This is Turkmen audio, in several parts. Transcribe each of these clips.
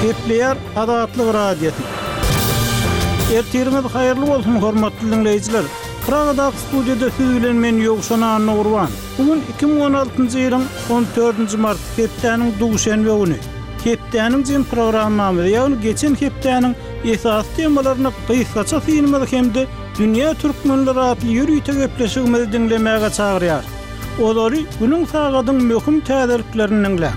Gepleýär Azatlyk Radiosy. Ertiriňiz haýyrly bolsun, hormatly diňleýjiler! Pragadaky studiýada siz bilen men Ýowşan Annagurban. Bu gün 2016-njy ýylyň 14-nji marty, hepdäniň duşenbe güni. Hepdäniň jem programmamyzy, ýagny geçen hepdäniň esasy temalaryna gysgaça synymyzy hem-de Dünýä türkmenleri atly ýörite gepleşigimizi diňlemäge çagyrýarys. Olary günüň sagadyň möhüm täzeliklerini diňläň.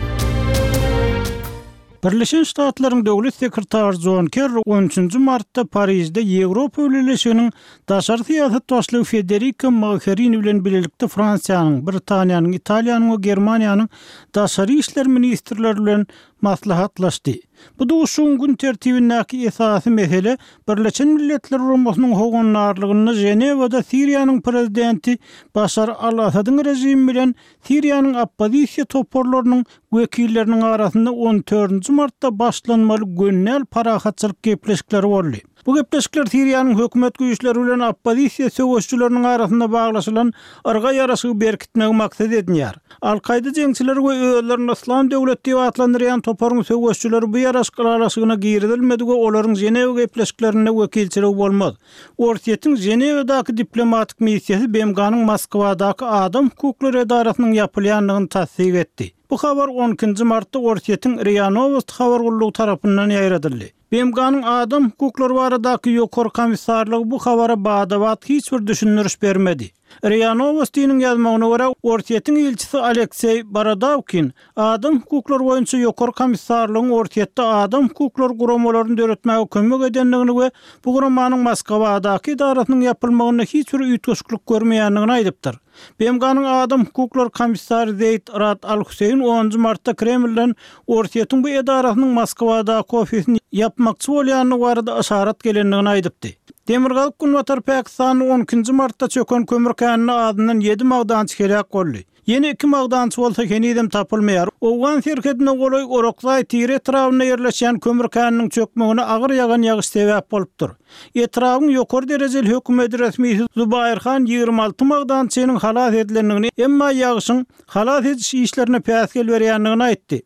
Birleşen Ştatlaryň Döwlet sekretary Jon Kerri on üçünji martda Parižde Ýewropa Bileleşiginiň daşary syýasat başlygy Federika Mogherini bilen bilelikde Fransiýanyň, Britaniýanyň, Italiýanyň we Germaniýanyň daşary işler ministrleri bilen maslahatlaşdy. Bu duşuşygyň gün tertibindäki esasy mesele Birleşen Milletler Guramasynyň howandarlygynda Ženewada Siriýanyň prezidenti Başar al-Asadyň režimi bilen Siriýanyň oppozisiýa toparlarynyň wekilleriniň arasynda on dördünji martda başlanmaly gönnel parahatçylyk gepleşikleri boldy. Bu gepleşikler Siriýanyň hökümet güýçleri bilen oppozisiýa söweşijileriniň arasynda baglaşylan yrga ýaraşygy berkitmegi maksat edinýär. Al-Kaýda jeňçileri we özlerini Yslam döwleti diýip atlandyrýan toparyň söweşijileri bu ýaraşyk ylalaşygyna girizilmedi we olaryň Ženewa gepleşiklerinde wekilçiligi bolmaz. Orsýetiň Ženewadaky diplomatik missiýasy BMG-niň Moskwadaky adam hukuklary edarasynyň ýapylýandygyny tassyk etdi. Bu habar on ikinji martda Orsýetiň RIA Nowosti habar gullugy tarapyndan ýaýradyldy. BMG-niň adam hukuklary baradaky Ýokary komissarlygy bu habara bada-bat hiç bir düşündiriş bermedi. RIA Nowostiniň ýazmagyna görä, Orsýetiň ilçisi Alekseý Borodawkin adam hukuklary boýunça Ýokary komissarlygyň Orsýetde adam hukuklary guramalaryny döretmäge kömek edendigini we bu guramanyň Moskwadaky edarasynyň ýapylmagynda hiç bir üýtgeşiklik görmeýändigini aýdypdyr. BMG-niň adam hukuklary komissary Zeýd Rad Al-Hüseýin onunjy martda Kremlden Orsýetiň bu edarasynyň Moskwadaky ofisini ýapmakçy bolýandygy barada yşarat gelendigini aýdypdy. Demirgazyk-günbatar Pakistanda on ikinji martda çöken kömür käninde azyndan ýedi magdançy heläk boldy. Ýene iki magdançy bolsa henizem tapylmaýar. Owgan serhedine golaý Orakzaý Tire etrabynda ýerleşýän kömür käniniň çökmegine agyr ýagan ýagyş sebäp bolupdyr. Etrabyň ýokary derejeli hökümet resmisi Zubair Han 26 magdançynyň halas edilendigini, emma ýagyşyň halas ediş işlerine päsgel berýändigini aýtdy.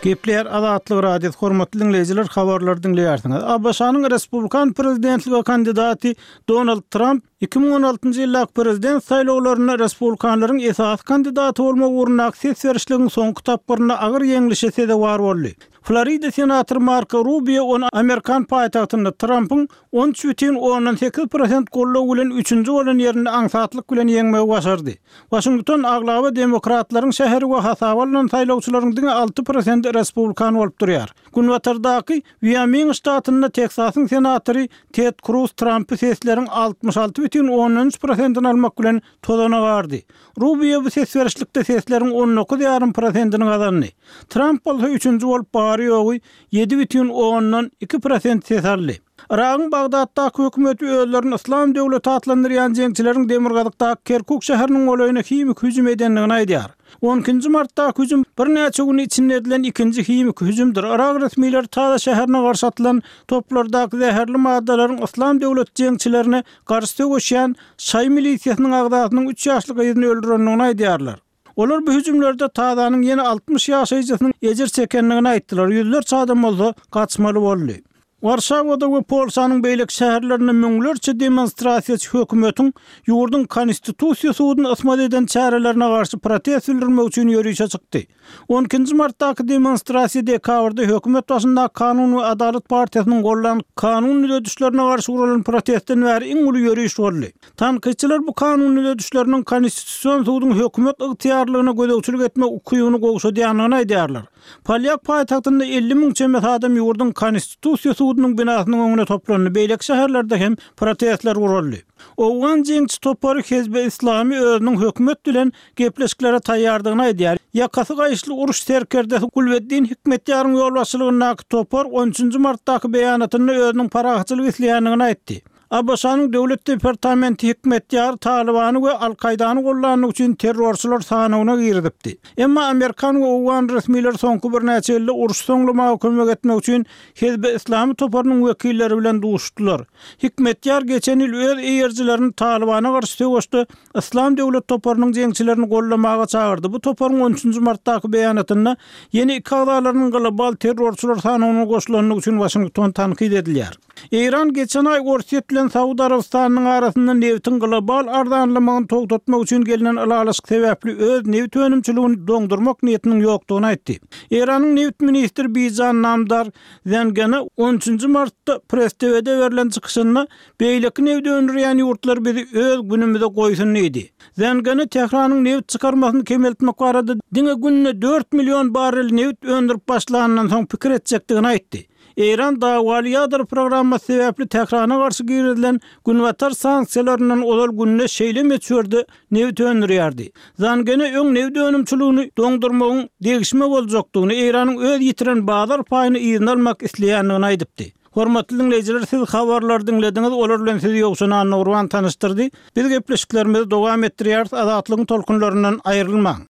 Gepleýär Azatlyk Radiosy, hormatly diňleýjiler, habarlary diňleýärsiňiz. ABŞ-nyň respublikan prezidentlige kandidaty Donald Tramp 2016-njy ýyldaky prezident saýlawlarynda respublikanlaryň esasy kandidaty bolmak ugrundaky ses berişligiň soňky tapgyrynda agyr ýeňlişe sezewar boldy. Florida senatory Marko Rubio ony amerikan paýtagtynda Trampyň 13,8 prosent goldaw bilen üçünji bolan ýerinde aňsatlyk bilen ýeňmegi başardy. Waşington aglaba demokratlaryň şäheri we hasaba alnan saýlawçylaryň diňe alty prosenti respublikan bolup durýar. Günbatardaky Wýoming ştatynda Teksasyň senatory Ted Kruz Trampy sesleriň 66,3 prosentini almak bilen tozana gardy. Rubio bu ses berişlikde sesleriň on dokuz ýarym prosentini gazandy. Tramp bolsa üçünji bolup bary-ýogy 7,2 prosent ses aldy. Yragyň Bagdatdaky hökümeti özlerini Yslam döwleti atlandyrýan jeňçileriň demirgazykdaky Kerkuk şäheriniň golaýyna himiki hüjüm edendigini aýdýar. On ikinji martdaky hüjüm birnäçe gün içinde edilen ikinji himiki hüjümdir. Yrak resmileri Taza şäherine garşy atylan toplardaky zäherli maddalaryň Yslam döwleti jeňçilerine garşy söweşýän şaýy milisiýasynyň agzasynyň üç ýaşly gyzyny öldürendigini aýdýarlar. Olar bu hüjümlerde Tazanyň ýene 60 ýaşaýjysynyň ejir çekendigini aýtdylar, ýüzlerçe adam bolsa gaçmaly boldy. Warşawada we Polşanyň beýleki şäherlerinde müňlerçe demonstrasiýaçy hökümetiň ýurduň Konstitusiýa suduny ysmaz eden çärelerine garşy protest bildirmek üçin ýörişe çykdy. On ikinji martdaky demonstrasiýa dekabrda hökümet başyndaky Kanun we adalat partiýasynyň goldan kanun düzedişlerine garşy guralan protestden bäri iň uly ýöriş boldy. Tankytçylar bu kanun düzedişleriniň Konstitusion suduň hökümet ygtyýarlygyna gözegçilik etmek ukybyny gowşadýandygyny aýdýarlar. Polýak paýtagtynda 50 müň çemesi adam ýurduň Konstitusiýa sudunyň binasynyň öňüne toplandy, beýleki şäherlerde hem protestler guraldy. Owgan jeňçi topary Hezbi Islami özüniň hökümet bilen gepleşiklere taýýardygyny aýdýar. Ýakasy gaýyşly uruş serkerdesi Gulbeddin Hikmetýaryň ýolbaşçylygyndaky topar on üçünji martdaky beýanatynda özüniň parahatçylyk isleýändigini aýtdy. ABŞ-nyň Döwlet departamenti Hikmetýary Talybany we Al-Kaýdany gollandygy üçin terrorçylar sanawyna girizipdi. Emma amerikan we owgan resmileri soňky birnäçe ýylda urşy soňlamaga kömek etmek üçin Hizbi Yslamy toparynyň wekilleri bilen duşuşdylar. Hikmetýar geçen ýyl öz eýerijilerini Talybana garşy söweşde Yslam döwlet toparynyň jeňçilerini goldamaga çagyrdy. Bu toparyň on üçünji martdaky beýanatynda ýene iki agzalarynyň global terrorçylar sanawyna goşulandygy üçin Waşington tankyt edilýär. Eýran geçen aý Orsýet bilen Saud Arabystanynyň arasynda nebitiň global arzanlamagyny togtatmak üçin gelnen ylalaşyk sebäpli öz nebit önümçiligini doňdurmak niýetiniň ýokdugyny aýtdy. Eýranyň nebit ministri Bijan Namdar Zengene on üçünji martda Press TV-de berlen çykyşynda Beýleki nebit öndürýän ýurtlar bizi öz günümize goýsun diýdi. Zengene Tähranyň nebit çykarmasyny kemeltmek barada diňe günde dört million barrel nebit öndürip başlanyndan soň pikir etjekdigini aýtdy. Eýran dawaly ýadro programmasy sebäpli Tährana garşy girizilen Günbatar sanksiýalaryndan ozal günde şeýle möçberde nebit öndürýärdi. Zangene öň nebit önümçiligini doňdurmagyň degişme boljakdygyny, Eýranyň öz ýitiren bazar paýyny yzyna almak isleýändigini aýdypdy. Hormatly diňleýjiler, siz habarlary diňlediňiz, olar bilen sizi Ýowşan Annagurban tanyşdyrdy. Biz gepleşiklerimizi dowam etdirýäris, Azatlygyň tolkunlaryndan aýrylmaň!